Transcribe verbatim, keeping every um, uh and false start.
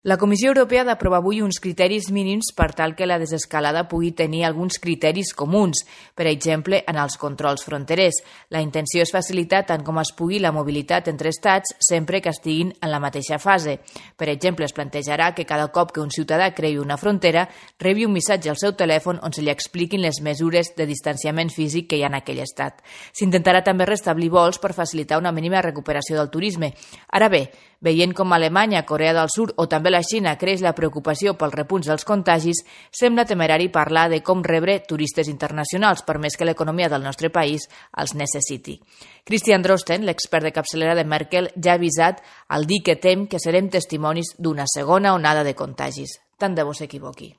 La Comissió Europea ha d'aprovar avui uns criteris mínims per tal que la desescalada pugui tenir alguns criteris comuns, per exemple, en els controls fronterers. La intenció és facilitar tant com es pugui la mobilitat entre estats sempre que estiguin en la mateixa fase. Per exemple, es plantejarà que cada cop que un ciutadà creï una frontera rebi un missatge al seu telèfon on se li expliquin les mesures de distanciament físic que hi ha en aquell estat. S'intentarà també restablir vols per facilitar una mínima recuperació del turisme. Ara bé, veient com a Alemanya, Corea del Sud o també la Xina creix la preocupació pel repunt dels contagis, sembla temerari parlar de com rebre turistes internacionals, per més que l'economia del nostre país els necessiti. Christian Drosten, l'expert de capçalera de Merkel, ja ha avisat al dir que tem que serem testimonis d'una segona onada de contagis. Tant de bo s'equivoqui.